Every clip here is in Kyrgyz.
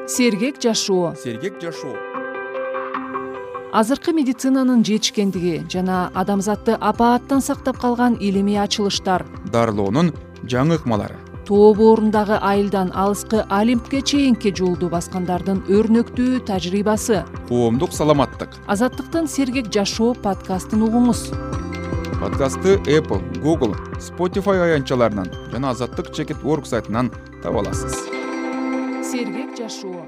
Сергек жашоо. Азыркы медицинанын жетишкендиги жана адамзатты апааттан сактап калган илимий ачылыштар, дарылоонун жаңы ыкмалары, тоо боорундагы айылдан алыскы Олимпке чейинки жолду баскандардын өрнөктүү тажрыйбасы. коомдук саламаттык. Азаттыктын Сергек жашоо подкастын угуңуз. Подкастты Apple, Google, Spotify аянтчаларынан жана Азаттык.org сайтынан таба аласыз. Сергек жашоо.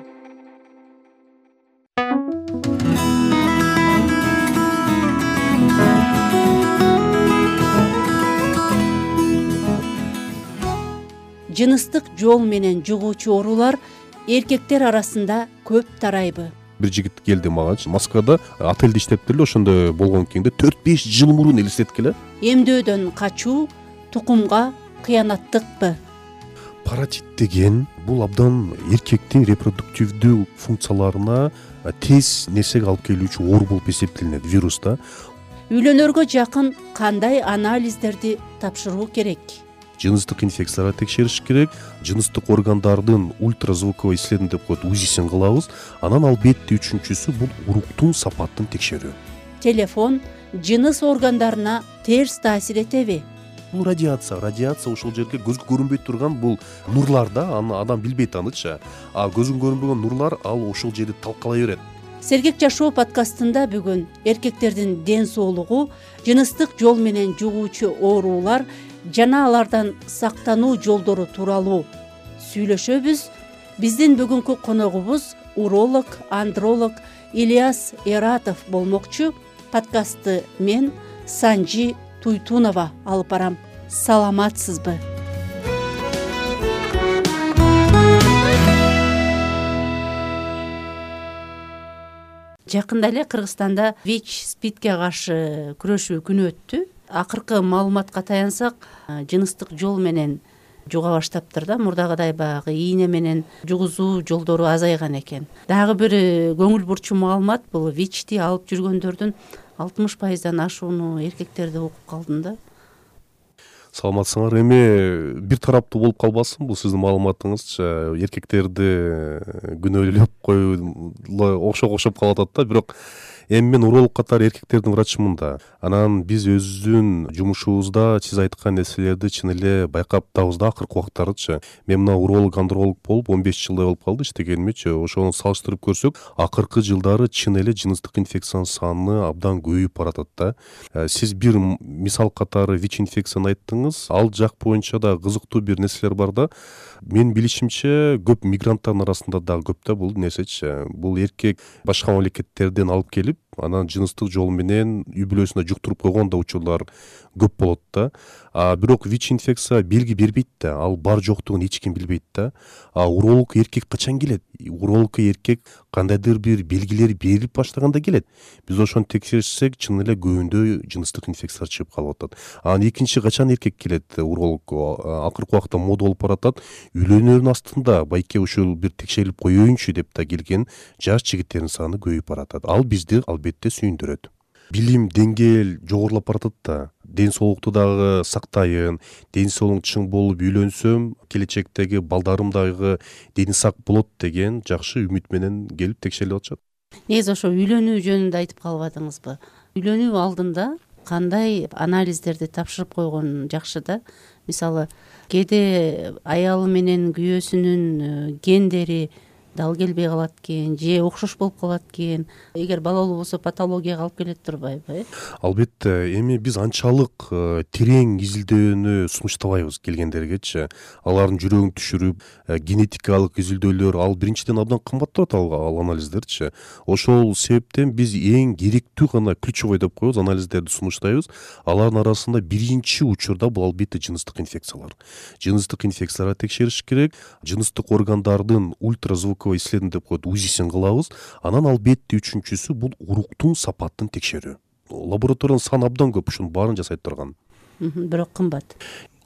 Жыныстык жол менен жугуучу оорулар эркектер арасында көп тарайбы? Бир жигит келди магачы, Москвада отельде иштептир эле, ошондо болгон кийинде 4-5 жыл мурун элестеткиле. Эмдөөдөн качуу тукумга кыянаттыкпы? Паротит деген бул абдан эркектин репродуктивдүү функцияларына тез нерсеге алып келүүчү оору болуп эсептелинет, вирус да. Үйлөнөргө жакын кандай анализдерди тапшыруу керек? Жыныстык инфекцияларга текшериш керек, жыныстык органдардын ультразвуковой исследование деп коет, УЗИсин кылабыз. Анан албетте үчүнчүсү бул уруктун сапатын текшерүү. Телефон жыныс органдарына терс таасир этеби? Бул радиация ушул жерге көзгө көрүнбөй турган бул нурлар да, аны адам билбейт анычы. А көзгө көрүнбөгөн нурлар ал ушул жерди талкалай берет. Сергек жашоо подкастында бүгүн эркектердин ден соолугу, жыныстык жол менен жугуучу оорулар жана алардан сактануу жолдору тууралуу сүйлөшөбүз. Биздин бүгүнкү коногубуз уролог, андролог Ильяс Эратов болмокчу. Подкастты мен Санжи Туйтунова алып барам. Саламатсызбы? Жакында эле Кыргызстанда ВИЧ-СПИДке каршы күрөшүү күнү өттү. Акыркы маалыматка таянсак, жыныстык жол менен жуга баштаптыр да. Мурдагыдай баягы ийне менен жугузуу жолдору азайган экен. Дагы бир көңүл бурчу маалымат, бул ВИЧти алып жүргөндөрдүн 60%дан ашууну эркектерди окуп калдым да. Саламатсыңар. Эми бир тараптуу болуп калбасын бул сиздин маалыматыңызчы. Эркектерди күнөөлөп коюу окшоп калып атат да, бирок эми мен уролог катары эркектердин врачымын да. Анан биз өзүбүздүн жумушубузда сиз айткан нерселерди чын эле байкап атабыз да акыркы убактардычы. Мен мына уролог, андролог болуп 15 жылдай болуп калды иштегенимчи. Ошону салыштырып көрсөк, акыркы жылдары чын эле жыныстык инфекциянын саны абдан көбөйүп баратат да. Сиз бир мисал катары ВИЧ инфекцияны айттыңыз. Ал жак боюнча да кызыктуу бир нерселер бар да. Мен билишимче көп мигранттардын арасында дагы көп да бул нерсечи. Бул эркек башка мамлекеттерден алып келип, анан жыныстык жол менен үй бүлөсүнө жуктуруп койгон да учурлар көп болот да. Бирок ВИЧ инфекция белги бербейт да, ал бар жоктугун эч ким билбейт да. Урологко эркек качан келет? Урологко эркек кандайдыр бир белгилер берип баштаганда келет. Биз ошону текшерсек, чын эле көбүндө жыныстык инфекциялар чыгып калып атат. Анан экинчи качан эркек келет урологко? Акыркы убакта мода болуп баратат. Үйлөнөрүнүн астында байке ушул бир текшерилип коеюнчу деп да келген жаш жигиттердин саны көбөйүп баратат. Ал бизди албетте сүйүндүрөт. Билим деңгээл жогорулап баратат да. Ден соолукту дагы сактайын, ден соолугум чың болуп үйлөнсөм, келечектеги балдарым дагы дени сак болот деген жакшы үмүт менен келип текшерилип атышат. Негизи ошо үйлөнүү жөнүндө айтып калбадыңызбы? Үйлөнүү алдында кандай анализдерди тапшырып койгон жакшы да? Мисалы, кээде аялы менен күйөөсүнүн гендери дал келбей калат экен, же окшош болуп калат экен. Эгер балалуу болсо патологияга алып келет турбайбы? Албетте, эми биз анчалык терең изилдөөнү сунуштабайбыз келгендергечи. Алардын жүрөгүн түшүрүп, генетикалык изилдөөлөр, ал биринчиден абдан кымбат турат ал анализдерчи. Ошол себептен биз эң керектүү гана ключевой деп коебуз, анализдерди сунуштайбыз. Алардын арасында биринчи учурда бул албетте жыныстык инфекциялар. Жыныстык инфекцияларга текшериш керек, жыныстык органдардын ультразвуковой исследование деп коет, УЗИсин кылабыз. Анан албетте үчүнчүсү бул уруктун сапатын текшерүү. Лабораториянын саны абдан көп, ушунун баарын жасай турган. Бирок кымбат.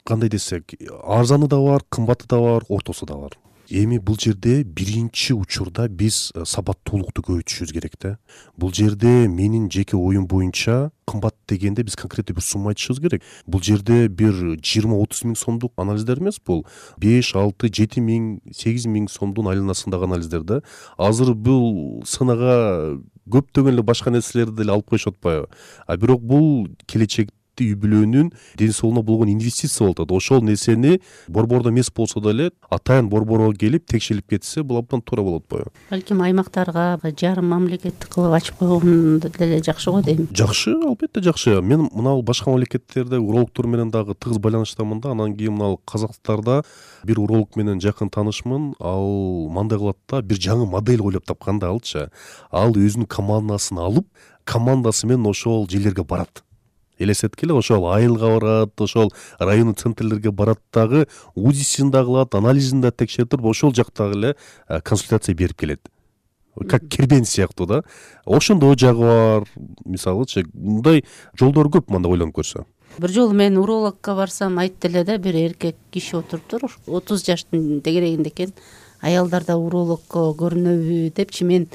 Кандай десек, арзаны да бар, кымбаты да бар, ортосу да бар. Эми бул жерде биринчи учурда биз сабаттуулукту көбөйтүшүбүз керек да. Бул жерде менин жеке оюм боюнча кымбат дегенде биз конкреттүү бир сумма айтышыбыз керек. Бул жерде бир 20-30 миң сомдук анализдер эмес, бул 5-6-7 миң 8 миң сомдун айланасындагы анализдер да. Азыр бул сынага көптөгөн эле башка нерселерди деле алып коюшуп атпайбы? А бирок бул келечекте үй бүлөнүн ден соолугуна болгон инвестиция болуп атат. Ошол нерсени борбордо эмес болсо деле атайын борборго келип текшерип кетсе, бул абдан туура болот атпайбы? Балким аймактарга жарым мамлекеттик кылып ачып койгон деле жакшы го дейм. Жакшы, албетте жакшы. Мен мына башка мамлекеттерде урологдор менен дагы тыгыз байланыштамын да. Анан кийин мына Казакстанда бир уролог менен жакын таанышмын. Ал мындай кылат да, бир жаңы модель ойлоп тапкан да алчы. Ал өзүнүн командасын алып, командасы менен ошол жерлерге барат. Элестеткиле, ошол айылга барат, ошол райондун центрлерге барат дагы, УЗИсин да кылат, анализин да текшерип туруп, ошол жактагы эле консультация берип келет. Как кербен сыяктуу да. Ошондой жагы бар. Мисалычы, мындай жолдор көп мында ойлонуп көрсө. Бир жолу мен урологко барсам, айтты эле да, бир эркек киши отуруптур, 30 жаштын тегерегинде экен. Аялдар да урологко көрүнөбү депчи, мен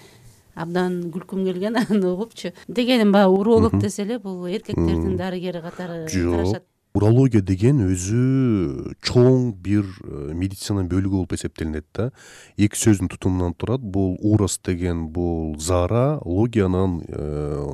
абдан күлкүм келген аны угупчу. Дегеним баягы уролог десе эле бул эркектердин дарыгери катары карашат. Урология деген өзү чоң бир медицина бөлүгү болуп эсептелинет да. Эки сөздүн тутумунан турат. Бул урос деген бул зара, логиянын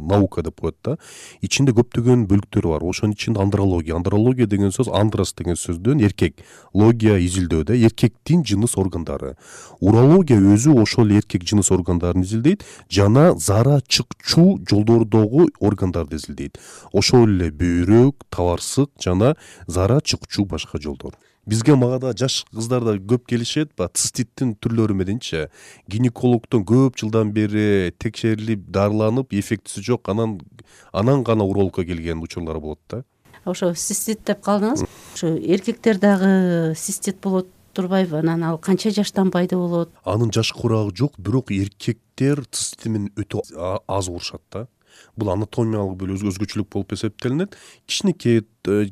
наука деп коет да. Ичинде көптөгөн бөлүктөр бар. Ошонун ичинде андрология. Андрология деген сөз андрос деген сөздөн эркек. Логия изилдөө да, эркектин жыныс органдары. Урология өзү ошол эркек жыныс органдарын изилдейт, жана зара чыкчу жолдордогу органдарды изилдейт. Ошол эле бөйрөк, табарсык жана зара чыкчу башка жолдор. Бизге магада жаш кыздар да көп келишет, циститтин түрлөрү мененчи. Гинекологдон көп жылдан бери текшерилип, дарыланып, эффектиси жок, анан гана урологко келген учурлар болот да. Ошо цистит деп калдыңыз. Ошо эркектер дагы цистит болот турбайбы? Анан ал канча жаштан пайда болот? Анын жаш курагы жок, бирок эркектер цистит менен өтө аз урушат да. Бул анатомиялык бир өзгөчөлүк болуп эсептелинет. Кичинекей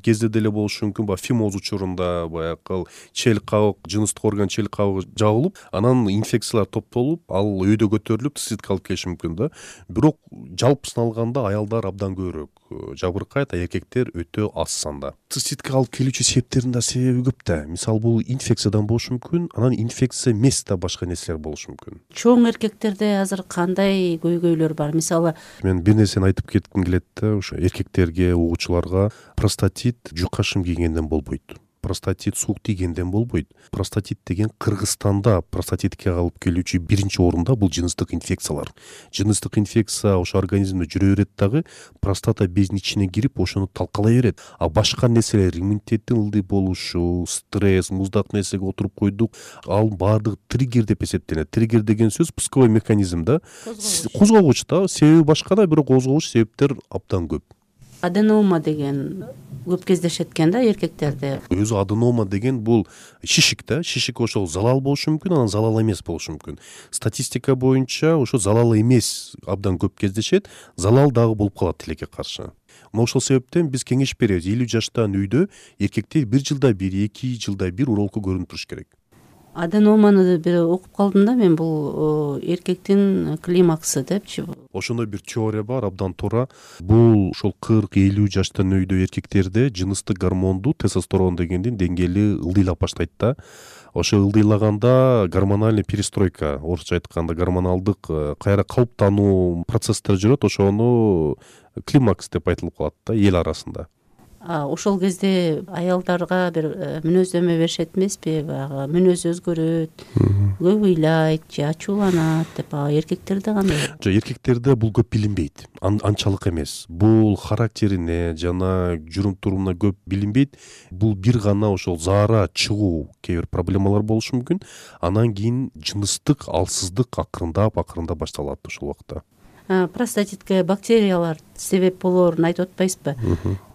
кезде деле болушу мүмкүн. Фимоз учурунда баягы чел кабык, жыныстык орган чел кабыгы жабылып, анан инфекциялар топтолуп, ал өйдө көтөрүлүп, циститке алып келиши мүмкүн да. Бирок жалпысын алганда аялдар абдан көбүрөөк жабыркайт, а эркектер өтө аз санда. Циститке алып келүүчү себептердин да себеби көп да. Мисалы бул инфекциядан болушу мүмкүн, анан инфекция эмес да башка нерселер болушу мүмкүн. Чоң эркектерде азыр кандай көйгөйлөр бар? Мисалы, мен бир нерсени айтып кетким келет да, ошо эркектерге, угуучуларга простатит жука шым кийгенден болбойт. Простатит суук тийгенден болбойт. Простатит деген Кыргызстанда простатитке алып келүүчү биринчи орунда бул жыныстык инфекциялар. Жыныстык инфекция ошо организмде жүрө берет дагы, простата безинин ичине кирип, ошону талкалай берет. А башка нерселер, иммунитеттин ылдый болушу, стресс, муздак нерсеге отуруп койдук, ал баардыгы триггер деп эсептелет. Триггер деген сөз пусковой механизм да. Козгогуч да, себеби башка да, бирок козгогуч себептер абдан көп. Аденома деген көп кездешет экен да эркектерде. Өзү аденома деген бул шишик да. Шишик ошол залал болушу мүмкүн, анан залал эмес болушу мүмкүн. Статистика боюнча ошо залал эмес абдан көп кездешет, залал дагы болуп калат тилекке каршы. Ошол себептен биз кеңеш беребиз. 50 жаштан үйдө эркектер 1 жылда 1, 2 жылда 1 урологко көрүнүп туруш керек. Аденоманы бир окуп калдым да мен, бул эркектин климаксы депчи. Ошондой бир теория бар, абдан туура. Бул ошол 40-50 жаштан өйдө эркектерде жыныстык гормонду, тестостерон дегендин деңгээли ылдыйлап баштайт да. Ошо ылдыйлаганда гормональный перестройка, орусча айтканда гормоналдык кайра калыптануу процесстер жүрөт, ошону климакс деп айтылып калат да эл арасында. Ошол кезде аялдарга бир мүнөздөмө беришет эмеспи? Баягы мүнөзү өзгөрөт, көп ыйлайт же ачууланат деп. Эркектерде кандай? Жок, эркектерде бул көп билинбейт. Анчалык эмес. Бул характерине жана жүрүм-турумуна көп билинбейт. Бул бир гана ошол заара чыгуу кээ бир проблемалар болушу мүмкүн. Анан кийин жыныстык алсыздык акырындап башталат ошол убакта. простатитке бактериялар себеп болоорун айтып атпайсызбы?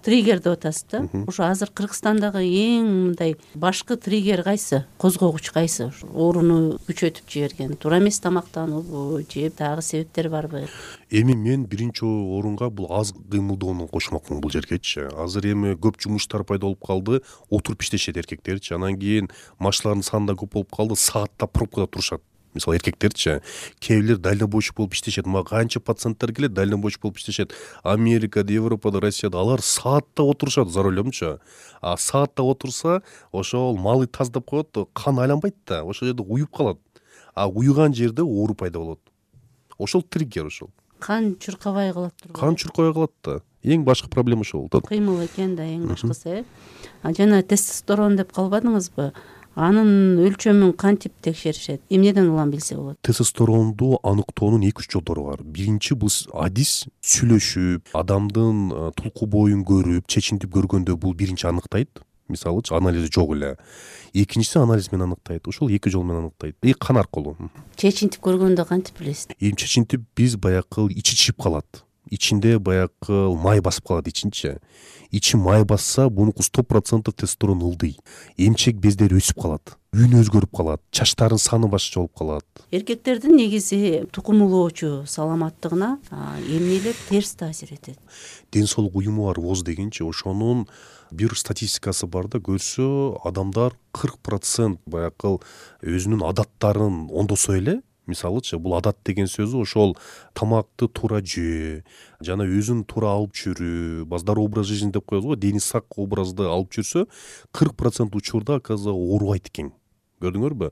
Триггер деп атасыз да. Ошо азыр Кыргызстандагы эң мындай башкы триггер кайсы? Козгогуч кайсы? Ооруну күчөтүп жиберген туура эмес тамактануубу же дагы себептер барбы? Эми мен биринчи орунга бул аз кыймылдоону кошмокмун бул жергечи. Азыр эми көп жумуштар пайда болуп калды, отуруп иштешет эркектерчи. Анан кийин машиналардын саны да көп болуп калды, саатта пробкада турушат. Мисалы эркектерчи, кээ бирлер дальнобойчу болуп иштешет. Мага канча пациенттер келет, дальнобойчу болуп иштешет. Америкада, Европада, Россияда алар саатта отурушат за рулемчу. А саатта отурса, ошол малы таздап коет, кан айланбайт да, ошол жерде уюп калат. А уюган жерде оору пайда болот. Ошол триггер ошол. Кан чуркабай калат турбу? Кан чуркабай калат да. Эң башкы проблема ошол. Кыймыл экен да эң башкысы. Жана тестостерон деп калбадыңызбы? Анын өлчөмүн кантип текшеришет? Эмнеден улам билсе болот? Тестостеронду аныктоонун 2-3 жолдору бар. Биринчи бул адис сүйлөшүп, адамдын тулку боюн көрүп, чечинтип көргөндө бул биринчи аныктайт. Мисалычы анализи жок эле. Экинчиси анализ менен аныктайт. Ошол 2 жол менен аныктайт. Кан аркылуу. Чечинтип көргөндө кантип билесиз? Чечинтип биз баягы ичи чип калат. Ичинде баягы май басып калат ичинчи. Ичи май басса, бунуку 100% тестостерон ылдый. Эмчек бездери өсүп калат. Үнү өзгөрүп калат. Чачтардын саны башкача болуп калат. Эркектердин негизи тукумулоочу саламаттыгына эмнелер терс таасир этет? Ден соолук уюму бар ВОЗ дегенчи, ошонун бир статистикасы бар да, көрсө адамдар 40% баягы өзүнүн адаттарын оңдосо эле. Мисалычы, бул адат деген сөзү ошол тамакты туура жөө, жана өзүн туура алып жүрүү, здоровый образ жизни деп коебуз го, дени сак образды алып жүрсө, 40% учурда оказывается оорубайт экен. Көрдүңөрбү?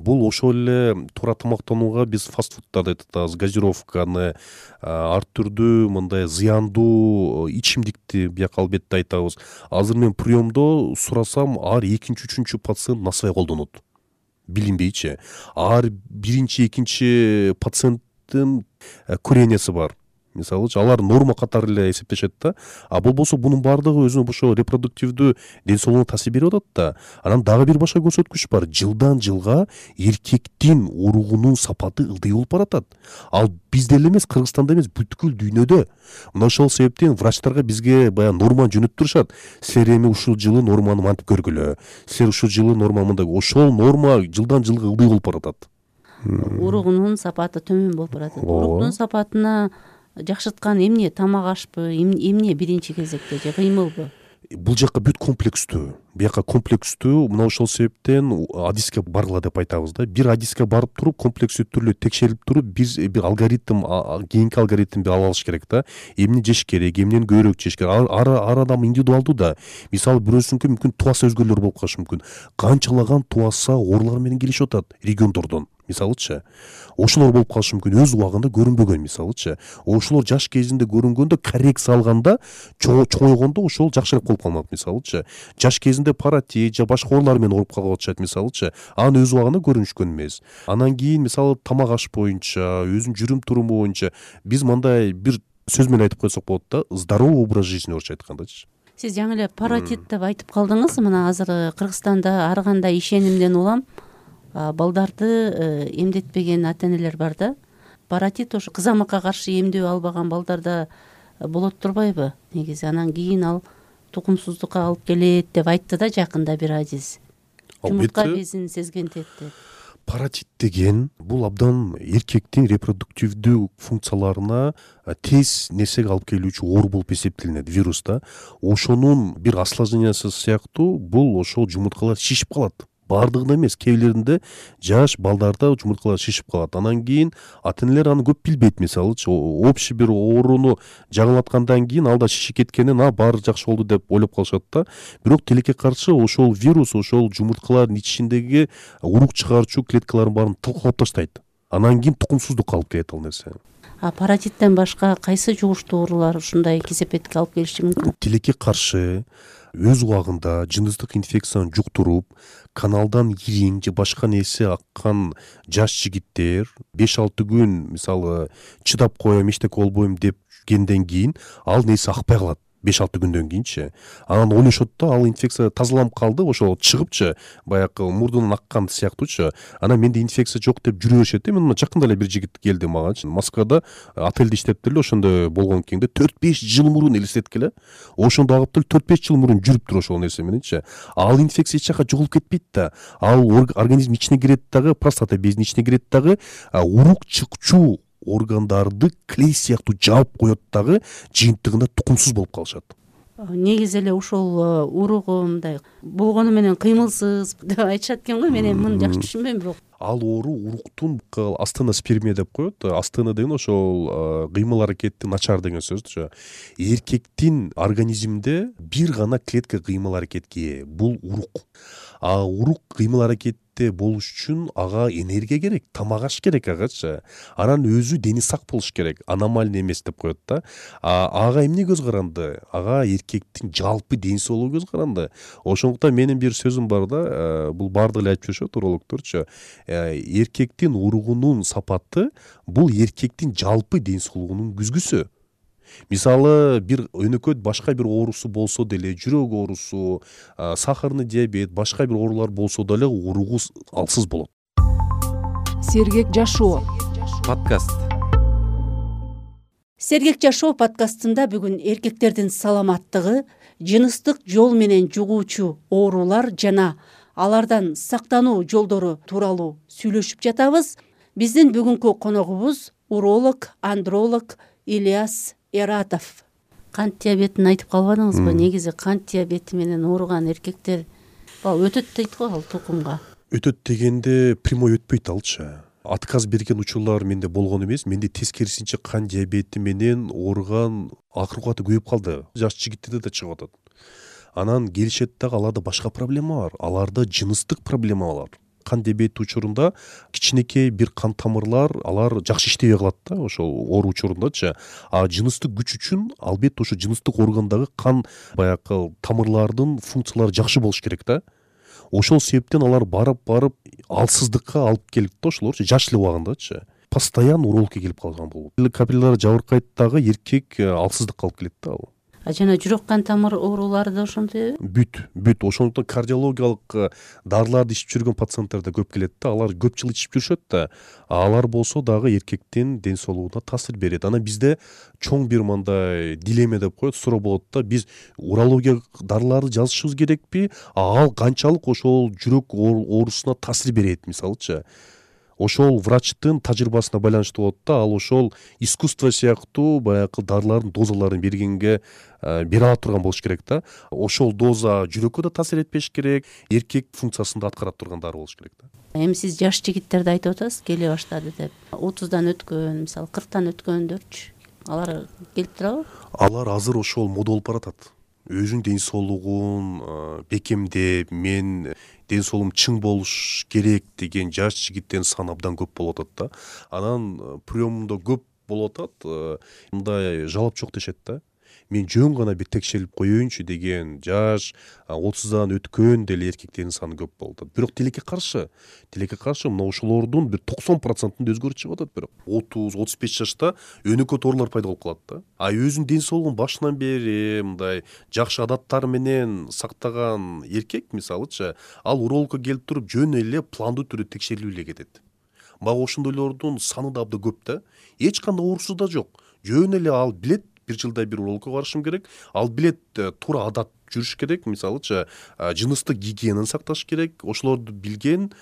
Бул ошол эле туура тамактанууга биз фастфудтарды айтабыз, газировканы, ар түрдүү мындай зыяндуу ичимдикти бияка албетте айтабыз. Азыр мен приемдо сурасам, ар 2-3 пациент насыбай колдонот. Билинбейчи. Ар биринчи, экинчи пациенттин курениясы бар. Мисалы, алар норма катары эле эсептешет да. А болбосо бунун баардыгы өзүнүн ошо репродуктивдүү ден соолугуна таасир берип атат да. Анан дагы бир башка көрсөткүч бар. Жылдан жылга эркектин уругунун сапаты ылдый болуп баратат. Ал бизде эле эмес, Кыргызстанда эмес, бүткүл дүйнөдө. Мына ошол себептен врачтарга бизге баягы норманы жөнөтүп турушат. Силер эми ушул жылы норманы мантип көргүлө. Силер ушул жылы норма мындай. Ошол норма жылдан жылга ылдый болуп баратат. Уругунун сапаты төмөн болуп баратат. Уругунун сапатына жакшырткан эмне? Тамак ашпы, эмне биринчи кезекте же кыймылбы? Бул жакка бүт комплекстүү. Бияка комплекстүү. Мына ошол себептен адиске баргыла деп айтабыз да. Бир адиске барып туруп, комплекстүү түрлүү текшерип туруп, бир алгоритм, кийинки алгоритмди ала алыш керек да. Эмне жеш керек, эмнени көбүрөөк жеш керек. Ар адам индивидуалдуу да. Мисалы бирөөсүнүкү мүмкүн туаса өзгөлөр болуп калышы мүмкүн. Канчалаган туаса оорулар менен келишип атат региондордон. Мисалычы, ошолор болуп калышы мүмкүн, өз убагында көрүнбөгөн. Мисалычы, ошолор жаш кезинде көрүнгөндө, коррекция алганда, чоңойгондо ошол жакшыраак болуп калмак. Мисалычы, жаш кезинде паратит же башка оорулар менен ооруп калып атышат. Мисалычы, анын өз убагында көрүнүшкөн эмес. Анан кийин мисалы тамак аш боюнча, өзүнүн жүрүм туруму боюнча биз мындай бир сөз менен айтып койсок болот да, здоровый образ жизни орусча айткандачы. Сиз жаңы эле паратит деп айтып калдыңыз. Мына азыр Кыргызстанда ар кандай ишенимден улам балдарды эмдетпеген ата-энелер бар да. Паратит ошо кызамакка каршы эмдөө албаган балдарда болот турбайбы? Негизи анан кийин ал тукумсуздукка алып келет деп айтты да жакында бир адис. Жумуртка безин сезгентет деп. Паратит деген бул абдан эркектин репродуктивдүү функцияларына тез нерсеге алып келүүчү оору болуп эсептелинет, вирус да. Ошонун бир осложнениясы сыяктуу бул ошол жумурткалар шишип калат. Бардыгында эмес, кээ бирлеринде жаш балдарда жумурткалар шишип калат. Анан кийин ата-энелер аны көп билбейт. Мисалычы, общий бир ооруну жаңылаткандан кийин алда шишип кеткенин, баары жакшы болду деп ойлоп калышат да. Бирок тилекке каршы ошол вирус ошол жумурткалардын ичиндеги урук чыгарчу клеткалардын баарын талкалап таштайт. Анан кийин тукумсуздукка алып келет ал нерсе. Паратиттен башка кайсы жугуштуу оорулар ушундай кесепетке алып келиши мүмкүн? Тилекке каршы өз убагында жыныстык инфекцияны жуктуруп, каналдан ириң же башка нерсе аккан жаш жигиттер 5-6 күн мисалы чыдап коем, эчтеке болбойм деп кенден кийин ал нерсе акпай калат. 5-6 күндөн кийинчи. Анан ойлошот да, ал инфекция тазаланып калды, ошол чыгыпчы, баягы мурдунан аккан сыяктуучу. Анан менде инфекция жок деп жүрө беришет да. Мен мына жакында эле бир жигит келди мага. Москвада отелде иштептир эле, ошондо болгон кийинде 4-5 жыл мурун элестеткиле. Ошондо агып деле 4-5 жыл мурун жүрүптүр ошол нерсе мененчи. Ал инфекция эч жака жоголуп кетпейт да. Ал организм ичине кирет дагы, простата безинин ичине кирет дагы, урук чыкчу органдарды клей сыяктуу жаап коет дагы, жыйынтыгында тукумсуз болуп калышат. Негизи эле ушул уругу мындай болгону менен кыймылсыз деп айтышат экен го. Мен эми муну жакшы түшүнбөйм, бирок Ал оору уруктун астеноспермия деп коет. Астена деген ошол кыймыл аракети начар деген сөзчү. Эркектин организминде бир гана клетка кыймыл аракетке ээ, бул урук. Урук кыймыл аракетте болуш үчүн ага энергия керек, тамак аш керек агачы. Анан өзү дени сак болуш керек, аномальный эмес деп коет да. Ага эмне көз каранды? Ага эркектин жалпы ден соолугу көз каранды. Ошондуктан менин бир сөзүм бар да, бул баардыгы эле айтып жүрүшөт урологдорчу. Эркектин уругунун сапаты бул эркектин жалпы ден соолугунун күзгүсү. Мисалы, бир өнөкөт башка бир оорусу болсо деле, жүрөк оорусу, сахарный диабет, башка бир оорулар болсо деле уругу алсыз болот. Сергек жашоо подкаст. Сергек жашоо подкастында бүгүн эркектердин саламаттыгы, жыныстык жол менен жугуучу оорулар жана алардан сактануу жолдору тууралуу сүйлөшүп жатабыз. Биздин бүгүнкү коногубуз уролог, андролог Ильяс Эратов. Кант диабетин айтып калбадыңызбы? Негизи кант диабети менен ооруган эркектер өтөт дейт го ал тукумга. Өтөт дегенде прямой өтпөйт алчы. Отказ берген учурлар менде болгон эмес. Менде тескерисинче кант диабети менен ооруган акыркы убакта көбөйүп калды. Жаш жигиттерде да чыгып атат. Анан келишет дагы, аларда башка проблема бар. Аларда жыныстык проблема бар. Кант диабети учурунда кичинекей бир кан тамырлар алар жакшы иштебей калат да, ошол оору учурундачы. Жыныстык күч үчүн албетте ошо жыныстык органдагы кан баягы тамырлардын функциялары жакшы болуш керек да. Ошол себептен алар барып алсыздыкка алып келет да, ошолорчу жаш эле убагындачы. Постоянно урологке келип калган болот. Капиллялары жабыркайт дагы, эркек алсыздыкка алып келет да ал. Жана жүрөк кан тамыр оорулары да ошондой. Бүт. Ошондуктан кардиологиялык дарыларды ичип жүргөн пациенттер да көп келет да. Алар көп жыл ичип жүрүшөт да. Алар болсо дагы эркектин ден соолугуна таасир берет. Анан бизде чоң бир мындай дилемма деп коет, суроо болот да. Биз урология дарыларды жазышыбыз керекпи? Ал канчалык ошол жүрөк оорусуна таасир берет, мисалычы. Ошол врачтын тажрыйбасына байланыштуу болот да. Ал ошол искусство сыяктуу баягы дарылардын дозаларын бергенге бере ала турган болуш керек да. Ошол доза жүрөккө да таасир этпеш керек, эркек функциясын да аткара турган дары болуш керек да. Эми сиз жаш жигиттерди айтып атасыз, келе баштады деп. 30дан өткөн, мисалы 40тан өткөндөрчү, алар келип турабы? Алар азыр ошол мода болуп баратат. Өзүнүн ден соолугун бекемдеп, мен ден соолугум чың болуш керек деген жаш жигиттин саны абдан көп болуп атат да. Анан приемда көп болуп атат. Мындай жалап жок дешет да. Мен жөн гана бир текшерилип коеюнчу деген жаш 30дан өткөн деле эркектердин саны көп болуп атат. Бирок тилекке каршы мына ошолордун бир 90%-ында өзгөрүп чыгып атат. Бирок 30-35 жашта өнөкөт оорулар пайда болуп калат да. Өзүнүн ден соолугун башынан бери мындай жакшы адаттар менен сактаган эркек, мисалычы, ал урологко келип туруп жөн эле пландуу түрдө текшерилип эле кетет. Мага ошондойлордун саны да абдан көп да. Эч кандай оорусу да жок. Жөн эле ал билет, бир жылда бир урологко барышым керек. Ал билет туура адат жүрүш керек, мисалычы, жыныстык гигиенаны сакташ керек. Ошолорду билген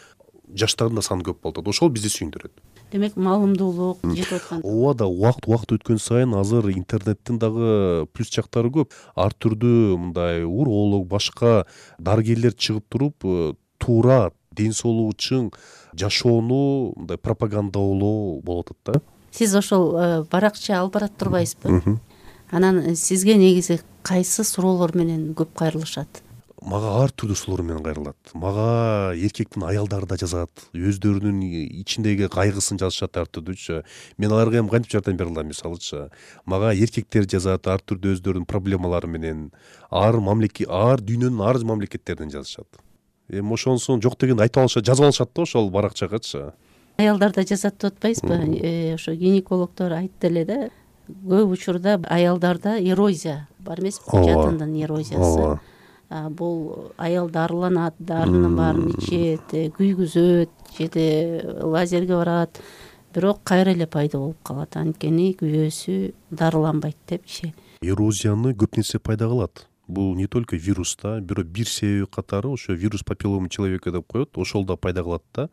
жаштардын да саны көп болот. Ошол бизди сүйүндүрөт. Демек, маалымдуулук жетип аткан. Ооба да, убакыт өткөн сайын азыр интернеттин дагы плюс жактары көп. Ар түрдүү мындай уролог, башка дарыгерлер чыгып туруп, туура ден соолугу үчүн жашоону мындай пропагандалоо болуп атат да. Сиз ошол баракча алып барат турбайсызбы? Анан сизге негизи кайсы суроолор менен көп кайрылышат? Мага ар түрдүү суроолор менен кайрылат. Мага эркектин аялдары да жазат. Өздөрүнүн ичиндеги кайгысын жазышат ар түрдүүчү. Мен аларга эми кантип жардам бере алам, мисалычы. Мага эркектер жазат ар түрдүү өздөрүнүн проблемалары менен. Ар дүйнөнүн ар мамлекеттеринен жазышат. Эми ошонусун жок дегенди айтып алышат, жазып алышат да ошол баракчагачы. Аялдар да жазат деп атпайсызбы? Ошо гинекологдор айтты эле да, көп учурда аялдарда эрозия бар эмеспи, жатындын эрозиясы. Бул аял дарыланат, дарынын баарын ичет, күйгүзөт жеде лазерге барат, бирок кайра эле пайда болуп калат, анткени күйөөсү дарыланбайт депчи. Эрозияны көп нерсе пайда кылат. Бул не только вирус да, бирок бир себеби катары ошо вирус папиллома человека деп коет, ошол да пайда кылат да.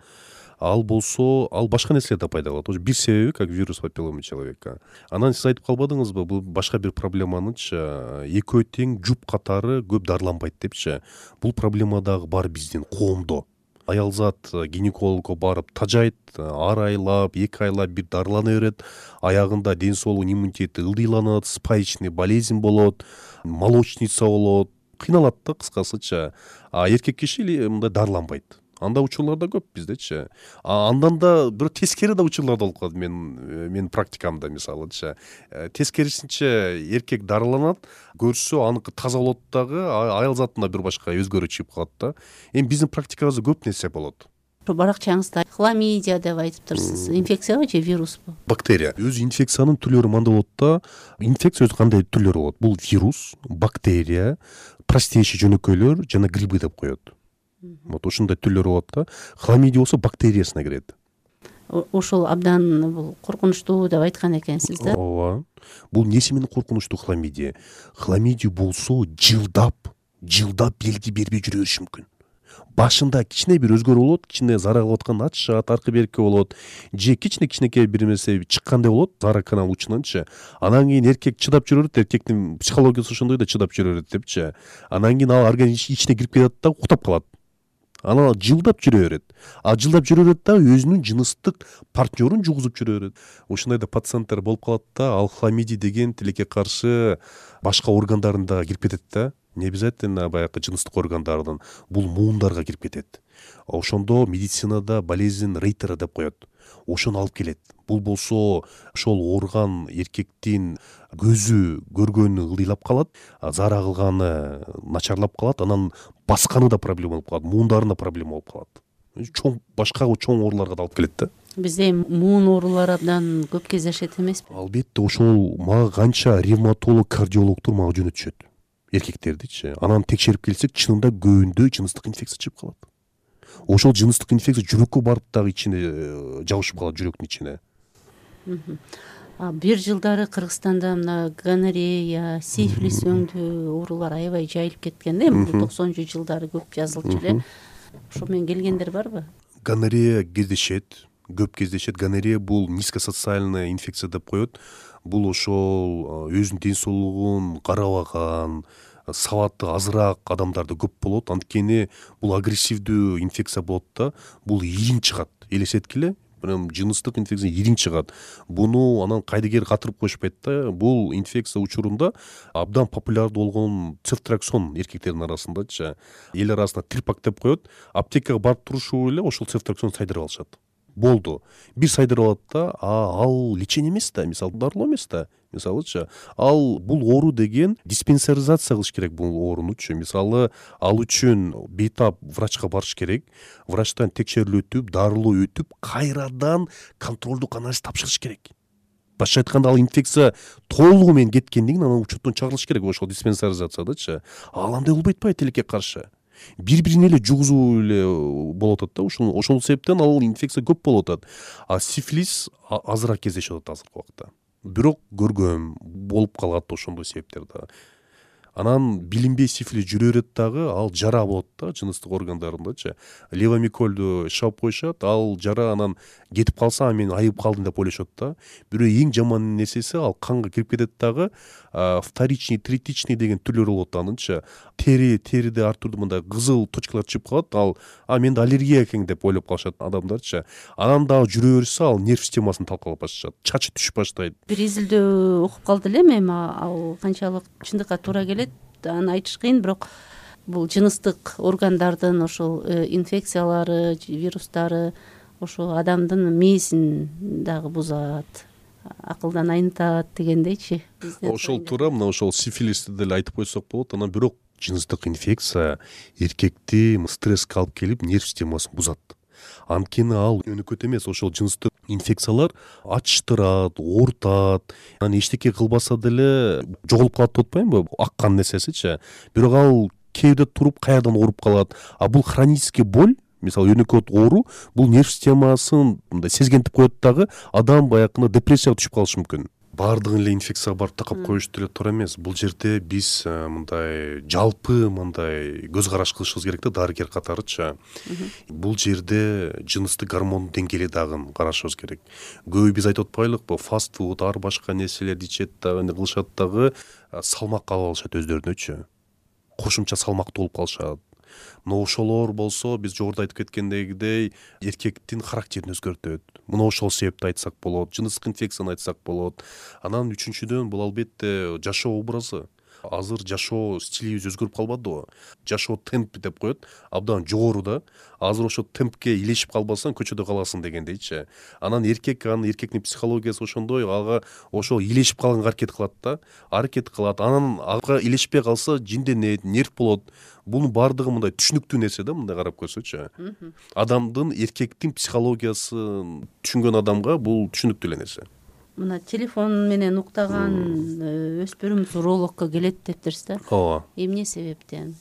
Ал болсо, ал башка нерселер да пайда кылат. Ошо бир себеби как вирус папиллома человека. Анан сиз айтып калбадыңызбы, бул башка бир проблеманычы экөө тең жуп катары көп дарыланбайт депчи. Бул проблема дагы бар биздин коомдо. Аялзат гинекологко барып тажайт, ар айлап, 2 айлап бир дарылана берет, аягында ден соолук иммунитети ылдыйланат, спаечный болезнь болот, молочница болот, кыйналат да кыскасычы. Эркек киши мындай дарыланбайт. Анда учурлар да көп биздечи. Андан да бир тескери да учурлар болуп калат мен практикамда мисалычы. Тескерисинче эркек дарыланат, көрсө аныкы таза болот дагы, аял затында бир башка өзгөрүү чыгып калат да. Эми биздин практикабызда көп нерсе болот. Баракчаңызда хламидия деп айтыптырсыз. Инфекциябы же вируспу? Бактерия. Өзү инфекциянын түрлөрү мындай болот да. Инфекция өзү кандай түрлөрү болот? Бул вирус, бактерия, простейший жөнөкөйлөр жана грибы деп коет. Вот ушундай түрлөрү болот да. Хламидия болсо бактериясына кирет. Ошол абдан бул коркунучтуу деп айткан экенсиз да. Ооба. Бул эмнеси менен коркунучтуу хламидия? Хламидия болсо жылдап белги бербей жүрө бериши мүмкүн. Башында кичине бир өзгөрүү болот, кичине зара кылып аткан ачышат, аркы берки болот, же кичинекей бир нерсе чыккандай болот, зара канал учунанчы. Анан кийин эркек чыдап жүрө берет, эркектин психологиясы ошондой да, чыдап жүрө берет депчи. Анан кийин ал организм ичине кирип кетет да, уктап калат. Анан жылдап жүрө берет. Жылдап жүрө берет да, өзүнүн жыныстык партнерун жугузуп жүрө берет. Ошондой да пациенттер болуп калат да, ал хламидия деген тилекке каршы башка органдарында кирип кетет да. Не обязательно баягы жыныстык органдардын, бул муундарга кирип кетет. Ошондо медицинада болезнь Рейтера деп коет. Ошону алып келет. Бул болсо ошол орган эркектин көзү көргөнү ылдыйлап калат, зара кылганы начарлап калат, анан басканы да проблема болуп калат, муундарына проблема болуп калат. Башка чоң ооруларга да алып келет да. Бизде муун оорулары абдан көп кездешет эмеспи? Албетте, ошол мага канча ревматолог, кардиологдор мага жөнөтүшөт. Эркектердичи. Анан текшерип келсек, чынында көбүндө жыныстык инфекция чыгып калат. Ошол жыныстык инфекция жүрөккө барып дагы ичине жабышып калат, жүрөктүн ичине. Бир жылдары Кыргызстанда мына гонорея, сифилис өңдүү оорулар аябай жайылып кеткен да, эми 90 жылдары көп жазылчу эле. Ошо менен келгендер барбы? Гонорея кездешет, көп кездешет. Гонорея бул низкосоциальная инфекция деп коет. Бул ошол өзүнүн ден соолугун карабаган, сабаты азыраак адамдарда көп болот. Анткени бул агрессивдүү инфекция болот да, бул ириң чыгат. Элестеткиле, прям жыныстык инфекция ириң чыгат. Буну анан кайдыгер катырып коюшпайт да. Бул инфекция учурунда абдан популярдуу болгон цефтраксон эркектердин арасындачы. Эл арасында трипак деп коет. Аптекага барып турушу эле ошол цефтраксон сайдырып алышат. Болду. Бир сайдырып алат да, ал лечение эмес да, мисалы дарылоо эмес да. Мисалычы, ал бул оору деген диспансеризация кылыш керек бул оорунучу. Мисалы, ал үчүн бейтап врачка барыш керек. Врачтан текшерүү өтүп, дарылоо өтүп, кайрадан контролдук анализ тапшырыш керек. Башка айтканда, ал инфекция толугу менен кеткенден кийин анан учеттон чыгарылыш керек ошол диспансеризациядачы. Ал андай болбойт атпайбы тилекке каршы? Бири-бирине эле жугузуу эле болуп атат да. Ошол себептен ал инфекция көп болуп атат. Сифилис азыраак кездешип атат азыркы убакта. Бирок көргөм болуп калат ошондой себептер да. Анан билинбей сифилис жүрө берет дагы, ал жара болот да жыныстык органдарындачы. Левомикольду шап коюшат, ал жара анан кетип калса, мен айып калдым деп ойлошот да. Бирок эң жаман нерсеси, ал канга кирип кетет дагы, вторичный, третичный деген түрлөр болот анынчы. Териде ар түрдүү мындай кызыл точкалар чыгып калат, ал менде аллергия экен деп ойлоп калышат адамдарчы. Анан дагы жүрө берсе, ал нерв системасын талкалап башташат, чачы түшүп баштайт. Бир изилдөө окуп калды элем, эми ал канчалык чындыкка туура келет, аны айтыш кыйын, бирок бул жыныстык органдардын ошол инфекциялары, вирустары ошо адамдын мээсин дагы бузат, акылдан айнытат дегендейчи. Ошол туура, мына ошол сифилисти деле айтып койсок болот. Анан бирок жыныстык инфекция эркекти стресске алып келип, нерв системасын бузат. Анткени ал өнөкөт эмес, ошол жыныстык инфекциялар ачтырат, оорутат, анан эчтеке кылбаса деле жоголуп калат деп атпаймынбы, аккан нерсесичи. Бирок ал кээде туруп каярдан ооруп калат. А бул хронический боль, мисалы өнөкөт оору, бул нерв системасын мындай сезгентип коет дагы, адам баягы депрессияга түшүп калышы мүмкүн. Баардыгын эле инфекцияга барып такап коюш деле туура эмес. Бул жерде биз мындай жалпы мындай көз караш кылышыбыз керек да, дарыгер катарычы. Бул жерде жыныстык гормон деңгээли дагы карашыбыз керек. Көбү биз айтып атпайлыкпы, фастфуд, ар башка нерселерди ичет дагы, кылышат дагы, салмак алып алышат өздөрүнөчү. Кошумча салмактуу болуп калышат. Мына ошолор болсо, биз жогоруда айтып кеткендегидей, эркектин характерин өзгөртөт. Мына ошол себепти айтсак болот, жыныстык инфекцияны айтсак болот. Анан үчүнчүдөн бул албетте жашоо образы. Азыр жашоо стилибиз өзгөрүп калбадыбы? Жашоо темп деп коет, абдан жогору да. Азыр ошо темпке илешип калбасаң көчөдө каласың дегендейчи. Анан эркектин психологиясы ошондой, ага ошол илешип калганга аракет кылат. Анан ага илешпей калса жинденет, нерв болот. Бунун баардыгы мындай түшүнүктүү нерсе да, мындай карап көрсөчү. Адамдын, эркектин психологиясын түшүнгөн адамга бул түшүнүктүү эле нерсе. Мына телефон менен уктаган өспүрүм урологко келет дептирсиз да. Ооба. Эмне себептен?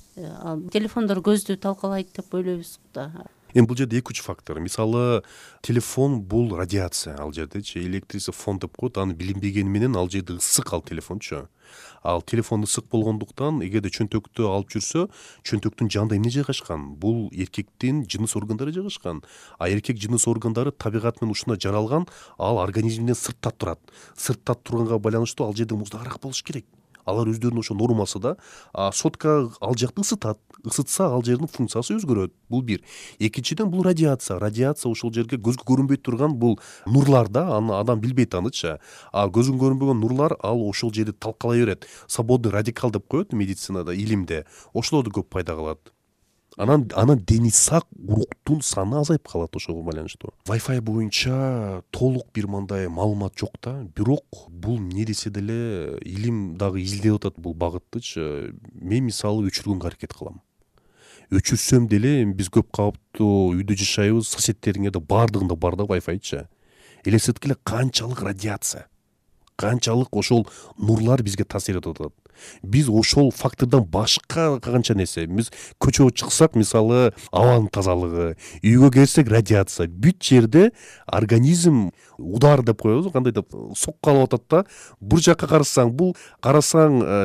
Телефондор көздү талкалайт деп ойлойбуз да. Бул жерде 2-3 фактор. Мисалы, телефон бул радиация, ал жердечи электрисий фон деп коет, аны билинбегени менен ал жерде ысык ал телефончу. Ал телефон ысык болгондуктан, эгерде чөнтөктү алып жүрсө, чөнтөктүн жанында эмне жайгашкан? Бул эркектин жыныс органдары жайгашкан. А эркек жыныс органдары табигат менен ушундай жаралган, ал организмден сыртта турат. Сыртта турганга байланыштуу ал жерде муздагыраак болуш керек. Алар өздөрүнүн ошо нормасы да. Сотка ал жакты ысытат. Ысытса ал жердин функциясы өзгөрөт. Бул бир. Экинчиден бул радиация. Радиация ошол жерге көзгө көрүнбөй турган бул нурлар да, аны адам билбейт анычы. А көзгө көрүнбөгөн нурлар ал ошол жерде талкалай берет. Свободный радикал деп коет медицинада, илимде. Ошолорду көп пайда кылат. Анан дени сак уруктун саны азайып калат ошого байланыштуу. Wi-Fi боюнча толук бир мындай маалымат жок да, бирок бул эмне десе деле илим дагы изилдеп атат бул багыттычы. Мен мисалы өчүргөнгө аракет кылам. Өчүрсөм деле биз көп кабаттуу үйдө жашайбыз, соседтериңерде баардыгында бар да Wi-Fiчы. Элестеткиле канчалык радиация, канчалык ошол нурлар бизге таасир этип атат. Биз ошол фактордон башка канча нерсе, биз көчөгө чыксак, мисалы, абанын тазалыгы, үйгө келсек радиация, бүт жерде организм удар деп коебуз, кандай деп сокко алып атат да. Бир жакка карасаң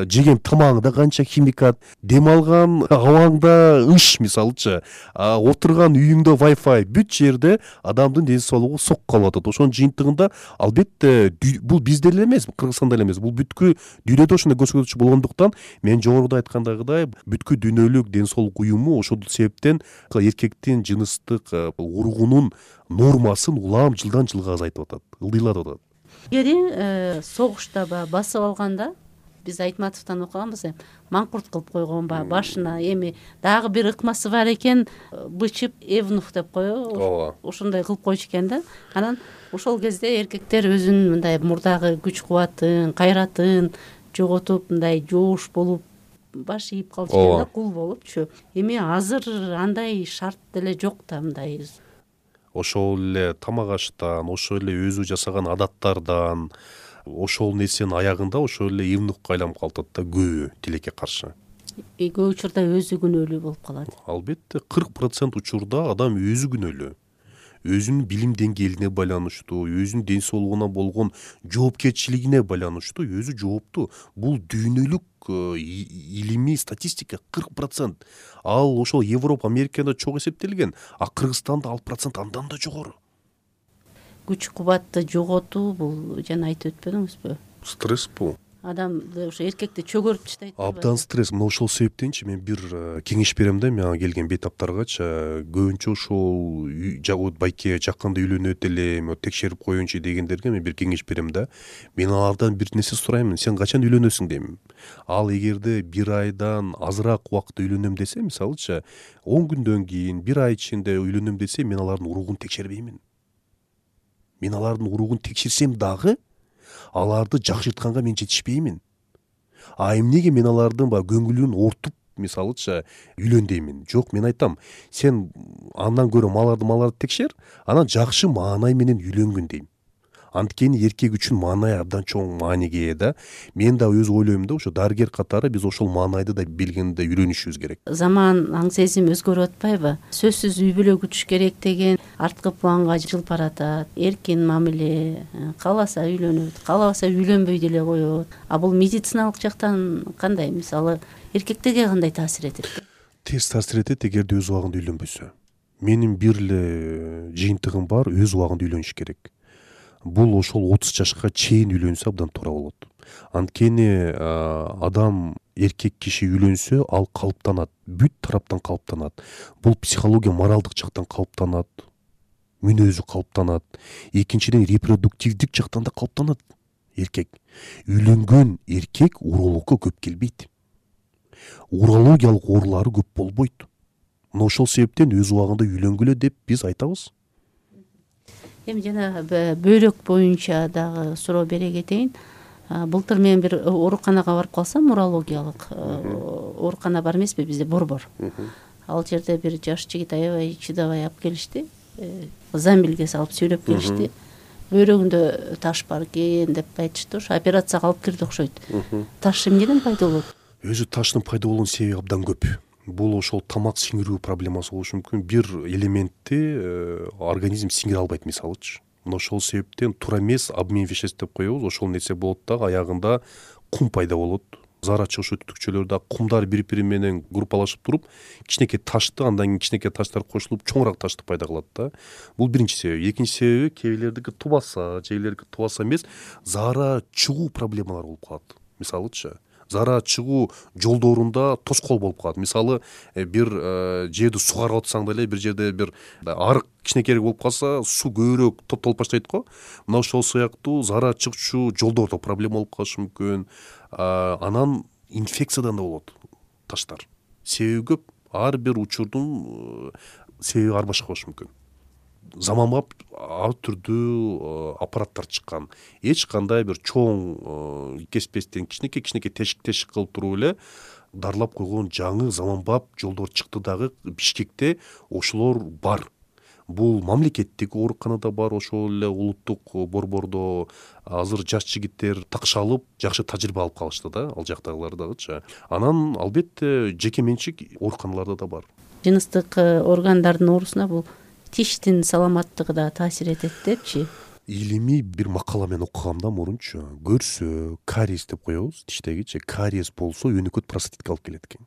жеген тамагыңда канча химикат, дем алган абаңда ыш, мисалычы, отурган үйүңдө Wi-Fi, бүт жерде адамдын ден соолугу сокко алып атат. Ошонун жыйынтыгында албетте бул бизде эле эмес, Кыргызстанда эле эмес, бул бүткүл дүйнөдө ошондой көрсөткүч болгондуктан, мен жогоруда айткандагыдай бүткүл дүйнөлүк ден соолук уюму ошол себептен эркектин жыныстык уругунун нормасын улам жылдан жылга азайтып атат, ылдыйлатып атат. Эгери согушта басып алганда, биз Айтматовдон окуганбыз, маңкурт кылып койгон башына эми дагы бир ыкмасы бар экен, бычып Евнух деп коебу, ошондой кылып койчу экен да. Анан ошол кезде эркектер өзүнүн мындай мурдагы күч кубатын, кайратын жоготуп, мындай жоош болуп, баш ийип калчу экен да, кул болупчу. Эми азыр андай шарт деле жок да, мындай. Ошол эле тамак аштан, ошол эле өзү жасаган адаттардан, ошол нерсенин аягында ошол эле евнухка айланып калат да, көбү тилекке каршы. Көп учурда өзү күнөөлүү болуп калат. Албетте 40% учурда адам өзү күнөөлүү. Өзүнүн билим деңгээлине байланыштуу, өзүнүн ден соолугуна болгон жоопкерчилигине байланыштуу өзү жооптуу. Бул дүйнөлүк илимий статистика 40%. Ал ошол Европа, Америкада чок эсептелген, а Кыргызстанда ал процент андан да жогору. Күч кубатты жоготуу бул жана айтып өтпөдүңүзбү? Стресс бул. Адамды ошо эркекти чөгөрүп таштайт. Абдан стресс. Мына ошол себептенчи мен бир кеңеш берем да, мага келген бейтаптаргачы, көбүнчө ошол байке жакында үйлөнөт элем, текшерип коеюнчу дегендерге мен бир кеңеш берем да. Мен алардан бир нерсе сурайм, сен качан үйлөнөсүң дейм. Ал эгерде бир айдан азыраак убакытта үйлөнөм десе, мисалычы 10 күндөн кийин, бир ай ичинде үйлөнөм десе, мен алардын уругун текшербеймин. Мен алардын уругун текшерсем дагы аларды жакшыртканга мен жетишпеймин. А эмнеге мен алардын көңүлүн ортуп мисалычы үйлөн деймин. Жок, мен айтам, сен андан көрө маларды текшер, анан жакшы маанай менен үйлөнгүн дейм. Анткени эркек үчүн маанай абдан чоң мааниге ээ да. Мен да өз ойлойм да, ошо дарыгер катары биз ошол маанайды да билгенде үйрөнүшүбүз керек. Заман аң сезим өзгөрүп атпайбы? Сөзсүз үй бүлө күтүш керек деген арткы планга жылып баратат. Эркин мамиле, кааласа үйлөнөт, каалабаса үйлөнбөй деле коет. А бул медициналык жактан кандай? Мисалы, эркектерге кандай таасир этет? Терс таасир этет эгерде өз убагында үйлөнбөсө. Менин бир эле жыйынтыгым бар, өз убагында үйлөнүш керек. Бул ошол 30 жашка чейин үйлөнсө абдан туура болот. Анткени адам, эркек киши үйлөнсө, ал калыптанат, бүт тараптан калыптанат. Бул психология, моралдык жактан калыптанат, мүнөзү калыптанат. Экинчиден репродуктивдик жактан да калыптанат эркек. Үйлөнгөн эркек урологко көп келбейт. Урологиялык оорулары көп болбойт. Мына ошол себептен өз убагында үйлөнгүлө деп биз айтабыз. Эми жана бөйрөк боюнча дагы суроо бере кетейин. Былтыр мен бир ооруканага барып калсам, урологиялык оорукана бар эмеспи бизде, Борбор. Ал жерде бир жаш жигит аябай чыдабай алып келишти. Замбилге салып сүйлөп келишти. Бөйрөгүндө таш бар экен деп айтышты. Ошо операцияга алып кирди окшойт. Таш эмнеден пайда болот? Өзү таштын пайда болуунун себеби абдан көп. Бул ошол тамак сиңирүү проблемасы болушу мүмкүн. Бир элементти организм сиңире албайт, мисалычы. Мына ошол себептен туура эмес обмен веществ деп коебуз. Ошол нерсе болот да, аягында кум пайда болот. Зарача ошо түтүкчөлөрдө кумдар бири-бири менен группалашып туруп, кичинекей ташты, андан кийин кичинекей таштар кошулуп, чоңураак ташты пайда кылат да. Бул биринчи себеби. Экинчи себеби, кээ бирлердики тубаса, кээ бирлердики тубаса эмес, заара чыгуу проблемалар болуп калат. Мисалычы, заара чыгуу жолдорунда тоскоол болуп калат. Мисалы, бир жерди сугарып атсаң деле, бир жерде бир арык кичинекейирээк болуп калса, суу көбүрөөк топтолуп баштайт го. Мына ошол сыяктуу заара чыгчу жолдордо проблема болуп калышы мүмкүн. Анан инфекциядан да болот таштар. Себеби көп. Ар бир учурдун себеби ар башка болушу мүмкүн. Заманбап ар түрдүү аппараттар чыккан. Эч кандай бир чоң кеспестен кичинекей тешик кылып туруп эле дарылап койгон жаңы заманбап жолдор чыкты дагы. Бишкекте ошолор бар. Бул мамлекеттик ооруканада бар, ошол эле улуттук Борбордо азыр жаш жигиттер такшалып, жакшы тажрыйба алып калышты да, ал жактагылар дагычы. Анан албетте жеке менчик ооруканаларда да бар. Жыныстык органдардын оорусуна бул тиштин саламаттыгы да таасир этет депчи. Илимий бир макала мен окугам да мурунчу. Көрсө, кариес деп коебуз, тиштегичи, кариес болсо өнөкөт простатитке алып келет экен.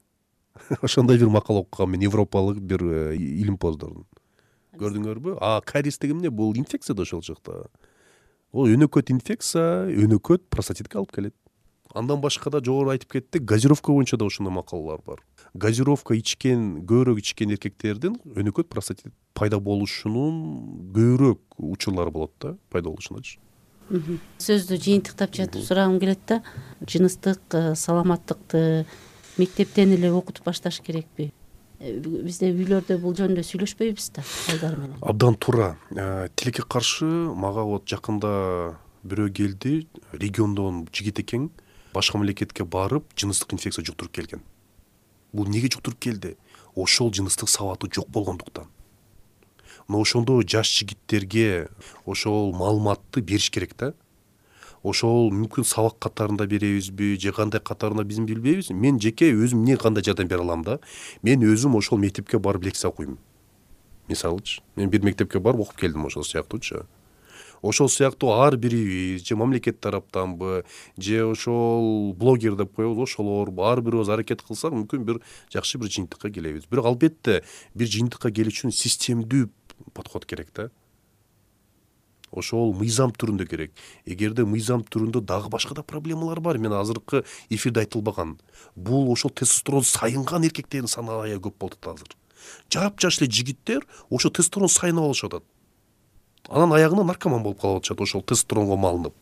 Ошондой бир макала окугам мен, европалык бир илимпоздордун. Көрдүңөрбү? Кариес деген эмне? Бул инфекция да ошол жакта. Ол өнөкөт инфекция, өнөкөт простатитке алып келет. Андан башка да жогору айтып кеттик, газировка боюнча да ошондой макалалар бар. Газировка ичкен, көбүрөөк ичкен эркектердин өнөкөт простатит пайда болушунун көбүрөөк учурлары болот да, пайда болушуначы. Сөздү жыйынтыктап жатып сурагым келет да, жыныстык саламаттыкты мектептен эле окутуп башташ керекпи? Бизде үйлөрдө бул жөнүндө сүйлөшпөйбүз да балдар менен. Абдан туура. Тилекке каршы мага вот жакында бирөө келди, региондон жигит экен, башка мамлекетке барып, жыныстык инфекция жуктуруп келген. Бул неге жуктуруп келди? Ошол жыныстык сабаты жок болгондуктан. Но ошондо жаш жигиттерге ошол маалыматты бериш керек да. Ошол мүмкүн сабак катарында беребизби, же кандай катарында биз билбейбиз. Мен жеке өзүм эмне кандай жардам бере алам да. Мен өзүм ошол мектепке барып лекция окуйм. Мисалычы, мен бир мектепке барып окуп келдим ошол сыяктуучу. Ошол сыяктуу ар бирибиз, же мамлекет тараптанбы, же ошол блогер деп коебуз, ошолор ар бирибиз аракет кылсак, мүмкүн бир жакшы бир жыйынтыкка келебиз. Бирок албетте бир жыйынтыкка келиш үчүн системдүү подход керек да. Ошол мыйзам түрүндө керек. Эгерде мыйзам түрүндө дагы башка да проблемалар бар. Мен азыркы эфирде айтылбаган. Бул ошол тестостерон сайынган эркектердин саны аябай көп болуп атат азыр. Жап-жаш эле жигиттер ошо тестостерон сайынып алышып атат. Анан аягына наркоман болуп калып атышат ошол тестостеронго малынып.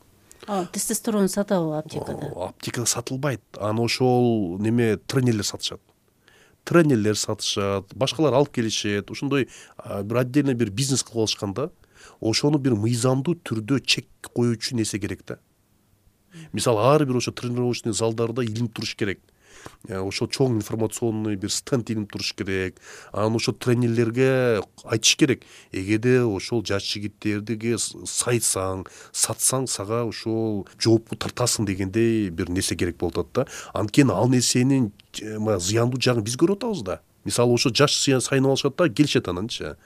Тестостерон сатабы аптекада? Аптекада сатылбайт. Аны ошол тренерлер сатышат. Тренерлер сатышат, башкалар алып келишет. Ошондой бир отдельный бир бизнес кылып алышканда, ошону бир мыйзамдуу түрдө чек коюучу нерсе керек да. Мисалы, ар бир ошо тренировочный залдарда илим туруш керек. ошо чоң информационный бир стенд илинип туруш керек. Анан ошо тренерлерге айтыш керек, эгерде ошол жаш жигиттерди сайсаң, сатсаң, сага ошол жоопку тартасың дегендей бир нерсе керек болуп атат да. Анткени ал нерсенин зыяндуу жагын биз көрүп атабыз да. Мисалы ошо жаш сайынып алышат да, келишет ананчы.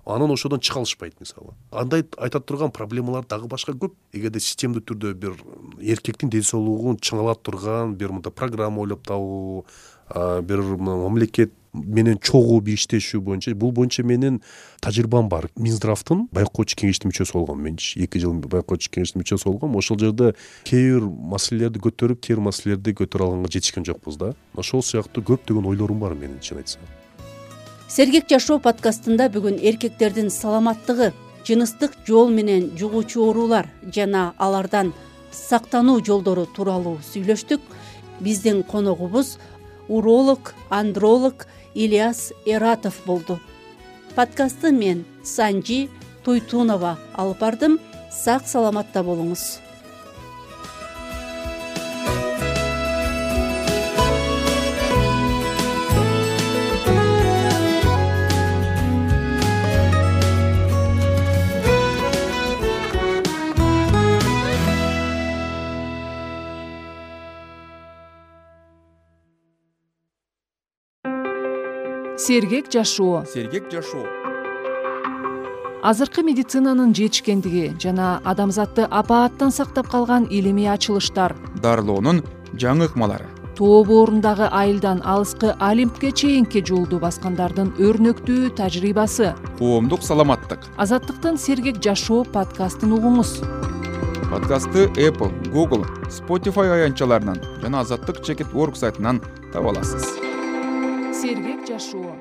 Анан ошодон чыга алышпайт мисалы. Андай айта турган проблемалар дагы башка көп. Эгерде системдүү түрдө бир эркектин ден соолугун чыңалап турган бир мындай программа ойлоп табуу, бир мамлекет менен чогуу бир иштешүү боюнча, бул боюнча менин тажрыйбам бар. Минздравдын байкоочу кеңештин мүчөсү болгом мен. 2 жыл байкоочу кеңештин мүчөсү болгом. Ошол жерде кээ бир маселелерди көтөрүп, кээ бир маселелерди көтөрө алганга жетишкен жокпуз да. Ошол сыяктуу көптөгөн ойлорум бар менин, чын айтсам. Сергек жашоо подкастында бүгүн эркектердин саламаттыгы, жыныстык жол менен жугуучу оорулар жана алардан сактануу жолдору тууралуу сүйлөштүк. Биздин коногубуз уролог, андролог Ильяс Эратов болду. Подкастты мен Санжи Туйтунова алып бардым. Сак саламатта болуңуз. Сергек жашоо. Сергек жашоо. Азыркы медицинанын жетишкендиги жана адамзатты апааттан сактап калган илимий ачылыштар, Дарылоонун жаңы ыкмалары. тоо боорундагы айылдан алыскы Олимпке чейинки жолду баскандардын өрнөктүү тажрыйбасы. Коомдук саламаттык. Азаттыктын Сергек жашоо подкастын угуңуз. Подкастты Apple, Google, Spotify аянтчаларынан жана Азаттык.org сайтынан таба аласыз. Сергек жашоо.